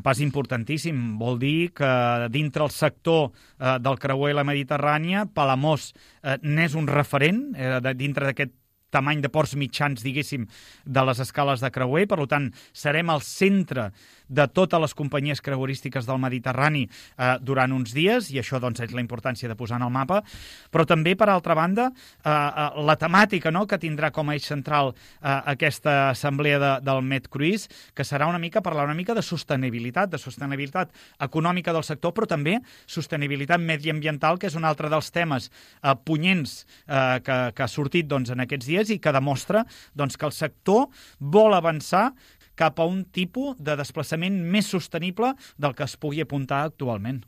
un pas importantíssim. Vol dir que dintre el sector del creuer i la Mediterrània, Palamós n'és un referent dintre d'aquest tamany de ports mitjans, diguéssim, de les escales de creuer. Per tant, serem al centre de totes les companyies creuerístiques del Mediterrani durant uns dies, i això doncs, és la importància de posar en el mapa. Però també, per altra banda, la temàtica que tindrà com a eix central aquesta assemblea del MedCruise, que serà parlar una mica de sostenibilitat econòmica del sector, però també sostenibilitat mediambiental, que és un altre dels temes punyents que ha sortit en aquests dies i que demostra que el sector vol avançar cap a un tipus de desplaçament més sostenible del que es pugui apuntar actualment.